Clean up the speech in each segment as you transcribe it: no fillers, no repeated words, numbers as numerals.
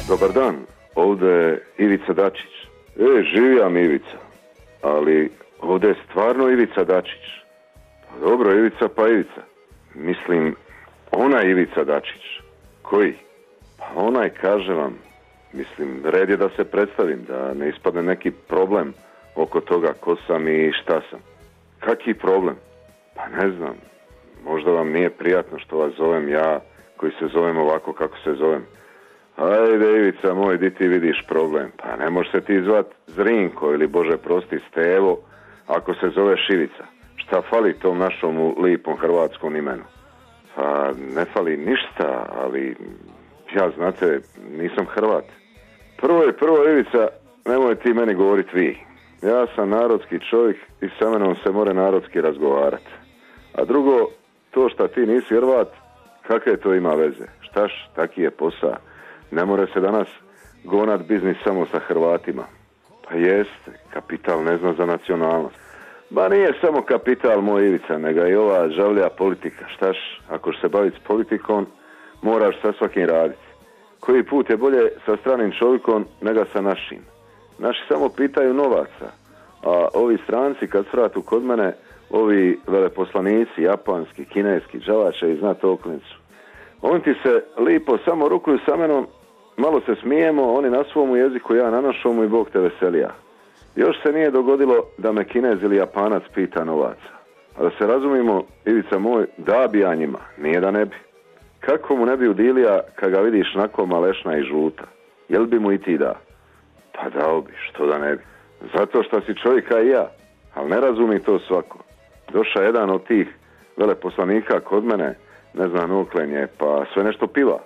Dobar dan, ovdje je Ivica Dačić. Živijam Ivica, ali ovdje je stvarno Ivica Dačić. Pa dobro, Ivica pa Ivica. Mislim, onaj Ivica Dačić. Koji? Pa onaj, kaže vam. Mislim, red je da se predstavim, da ne ispadne neki problem oko toga ko sam i šta sam. Kaki problem? Pa ne znam, možda vam nije prijatno što vas zovem ja, koji se zovem ovako kako se zovem. Ajde, Ivica moj, di ti vidiš problem? Pa ne može se ti zvat Zrinko ili, Bože prosti, Stevo, ako se zoveš Ivica. Šta fali tom našom lipom hrvatskom imenu? Pa ne fali ništa, ali ja, znate, nisam Hrvat. Prvo, Ivica, nemoj ti meni govorit vi. Ja sam narodski čovjek i sa menom se more narodski razgovarati. A drugo, to šta ti nisi Hrvat, kakve to ima veze? Štaš, taki je posao. Ne more se danas gonat biznis samo sa Hrvatima. Pa jeste, kapital ne zna za nacionalnost. Ba nije samo kapital moj Ivica, nego i ova žavlja politika. Štaš, ako se baviti s politikom, moraš sa svakim raditi. Koji put je bolje sa stranim čovjekom nego sa našim. Naši samo pitaju novaca, a ovi stranci kad svratu kod mene, ovi veleposlanici, japanski, kineski, džavače i znate oklincu. Oni ti se lipo samo rukuju sa menom, malo se smijemo, oni na svom jeziku, ja na našomu i Bog te veselija. Još se nije dogodilo da me Kinez ili Japanac pita novaca. A da se razumimo, Ivica moj, da bi ja njima, nije da ne bi. Kako mu ne bi udilija kad ga vidiš nako malešna i žuta? Jel bi mu i ti da? Pa dao bi, što da ne bi. Zato što si čovjeka i ja, ali ne razumi to svako. Došao jedan od tih veleposlanika kod mene, ne znam oklenje, pa sve nešto piva.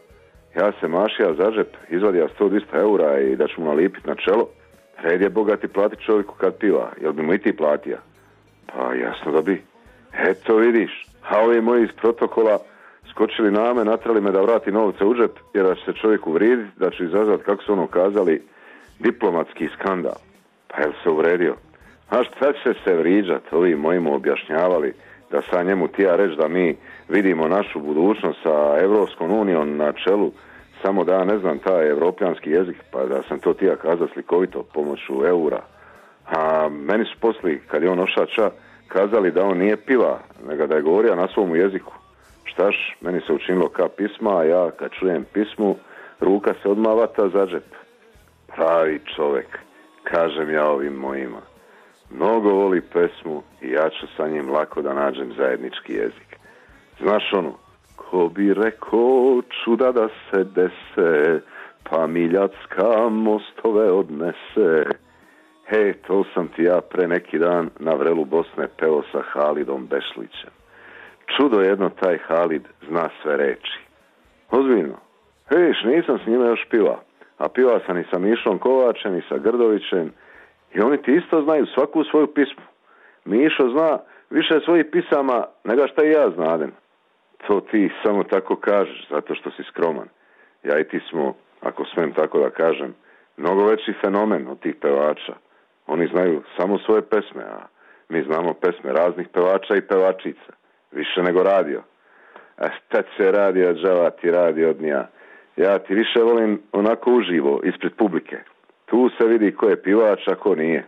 Ja se mašija za džep, izvadio 100-200 eura i da ću mu nalipit na čelo. Red je bogati plati čovjeku kad piva, jel bi mu i ti platija? Pa jasno da bi. Eto vidiš, a ovi moji iz protokola skočili na me, natrali me da vrati novce u džep, jer da će se čovjek uvrijediti, da će izazvati, kako su ono kazali, diplomatski skandal. Pa jel se uvredio? A šta će se vriđat? Ovi mojima objašnjavali da sa njemu tija reći da mi vidimo našu budućnost sa Evropskom unijom na čelu, samo da ne znam taj evropljanski jezik, pa da sam to tija kazao slikovito pomoću eura. A meni su poslije, kad je on ošača, kazali da on nije piva, nego da je govorio na svom jeziku. Štaš, meni se učinilo ka pisma, a ja kad čujem pismu, ruka se odmah vata za džep. Pravi čovjek, kažem ja ovim mojima. Mnogo voli pesmu i ja ću sa njim lako da nađem zajednički jezik. Znaš ono, ko bi rekao čuda da se dese, pa Miljacka mostove odnese. To sam ti ja pre neki dan na vrelu Bosne peo sa Halidom Bešlićem. Čudo jedno, taj Halid zna sve reči. Ozbiljno. Nisam s njima još piva. A piva sam i sa Mišom Kovačem i sa Grdovićem. I oni ti isto znaju svaku svoju pismu. Mišo zna više svojih pisama nego šta i ja znadem. To ti samo tako kažeš, zato što si skroman. Ja i ti smo, ako smem tako da kažem, mnogo veći fenomen od tih pevača. Oni znaju samo svoje pesme, a mi znamo pesme raznih pevača i pevačica. Više nego radio. A šta će radio, džava ti radi od nja. Ja ti više volim onako uživo, ispred publike. Tu se vidi ko je pivač, a ko nije.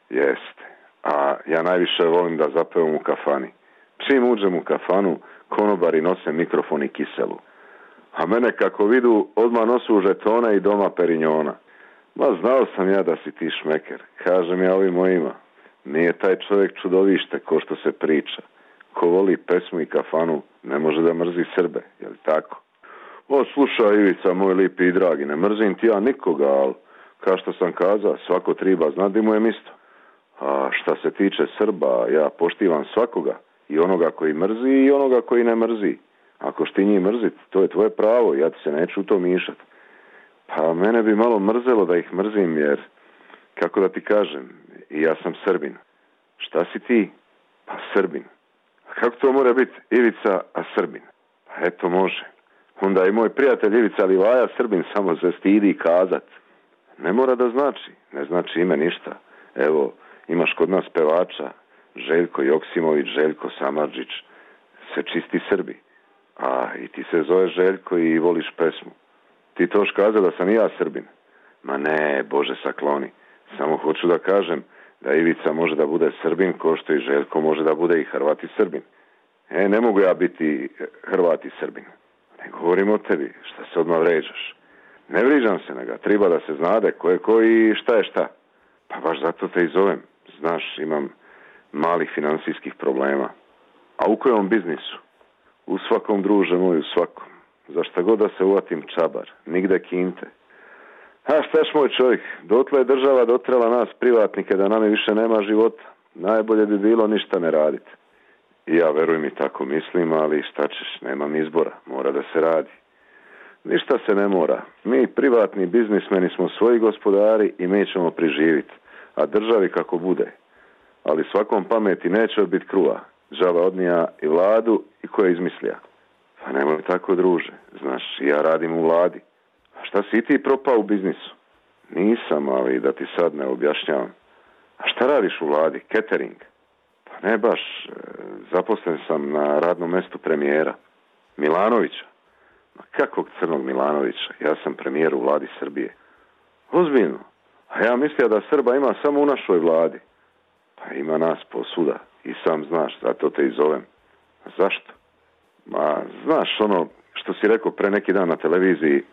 Jeste. A ja najviše volim da zapevam u kafani. Čim uđem u kafanu, konobari nose mikrofon i kiselu. A mene kako vidu, odmah nosu žetone i doma perinjona. Ma znao sam ja da si ti šmeker. Kažem ja ovim mojima. Nije taj čovjek čudovište ko što se priča. Ko voli pesmu i kafanu, ne može da mrzi Srbe, je li tako? Slušaj Ivica, moj lipi i dragi, ne mrzim ti ja nikoga, ali kao što sam kazao, svako triba zna di mu je misto. A šta se tiče Srba, ja poštivam svakoga, i onoga koji mrzi i onoga koji ne mrzi. Ako šti njih mrzit, to je tvoje pravo, ja ti se neću u to mišat. Pa mene bi malo mrzelo da ih mrzim, jer, kako da ti kažem, i ja sam Srbin. Šta si ti? Pa Srbin. A kako to mora biti Ivica, a Srbin? Pa eto može. Onda i moj prijatelj Ivica Livaja Srbin samo se stidi kazat. Ne mora da znači, ne znači ime ništa. Evo, imaš kod nas pevača, Željko Joksimović, Željko Samardžić, se čisti Srbi. A i ti se zove Željko i voliš pesmu. Ti to kazao da sam i ja Srbin. Ma ne, Bože sakloni. Samo hoću da kažem da Ivica može da bude Srbin ko što i Željko može da bude i Hrvat i Srbin. Ne mogu ja biti Hrvat i Srbin. Ne govorim o tebi, šta se odmah vređaš. Ne vriđam se, nego treba da se znade ko je ko i šta je šta. Pa baš zato te i zovem. Znaš, imam malih finansijskih problema. A u kojom biznisu? U svakom, druže moj, u svakom. Za šta god da se uvatim čabar, nigde kinte. A štaš moj čovjek, dotle je država dotrela nas privatnike da nam više nema života. Najbolje bi bilo ništa ne raditi. I ja, veruj mi, tako mislim, ali šta ćeš, nemam izbora, mora da se radi. Ništa se ne mora. Mi, privatni biznismeni, smo svoji gospodari i mi ćemo priživiti. A državi kako bude. Ali svakom pameti neće biti kruha. Džaba odnija i vladu i ko je izmislija. Pa nemoj tako, druže. Znaš, ja radim u vladi. A šta si ti propao u biznisu? Nisam, ali da ti sad ne objašnjavam. A šta radiš u vladi? Catering? Pa ne baš. Zaposlen sam na radnom mestu premijera. Milanovića. Ma kakvog crnog Milanovića? Ja sam premijer u vladi Srbije. Ozbiljno. A ja mislio da Srba ima samo u našoj vladi. Pa ima nas posuda. I sam znaš, zato te i zovem. A zašto? Ma, znaš ono što si rekao pre neki dan na televiziji,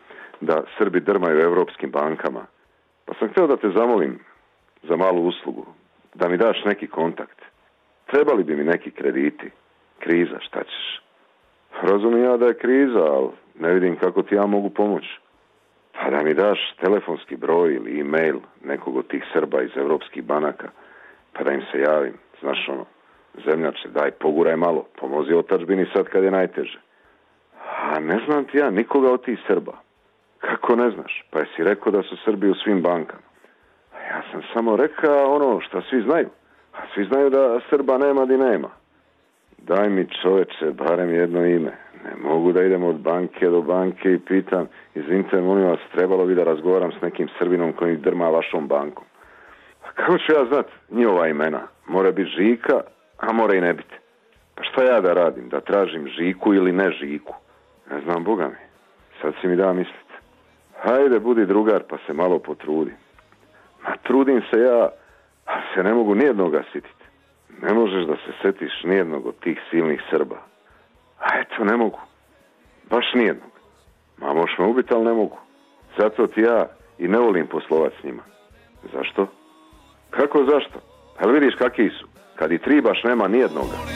da Srbi drmaju evropskim bankama. Pa sam htio da te zamolim za malu uslugu, da mi daš neki kontakt. Trebali bi mi neki krediti. Kriza, šta ćeš? Razumijem ja da je kriza, ali ne vidim kako ti ja mogu pomoći. Pa da mi daš telefonski broj ili e-mail nekog od tih Srba iz evropskih banaka, pa da im se javim. Znaš ono, zemljače, daj, poguraj malo, pomozi otadžbini sad kad je najteže. A ne znam ti ja nikoga od tih Srba. Kako ne znaš? Pa jesi rekao da su Srbi u svim bankama. A ja sam samo rekao ono što svi znaju. A svi znaju da Srba nema di nema. Daj mi, čoveče, barem jedno ime. Ne mogu da idem od banke do banke i pitam, izvinite, molim vas, trebalo bi da razgovaram s nekim Srbinom koji drma vašom bankom. A kako ću ja znat njihova imena? Mora biti Žika, a mora i ne biti. Pa šta ja da radim? Da tražim Žiku ili ne Žiku? Ne znam, Boga mi. Sad si mi da misliti. Hajde, budi drugar, pa se malo potrudi. Ma trudim se ja, a se ne mogu nijednoga sititi. Ne možeš da se setiš nijednog od tih silnih Srba. A eto, ne mogu. Baš nijednog. Ma možeš me ubiti, ali ne mogu. Zato ti ja i ne volim poslovat s njima. Zašto? Kako zašto? Ali vidiš kakvi su. Kad i tri baš nema nijednoga.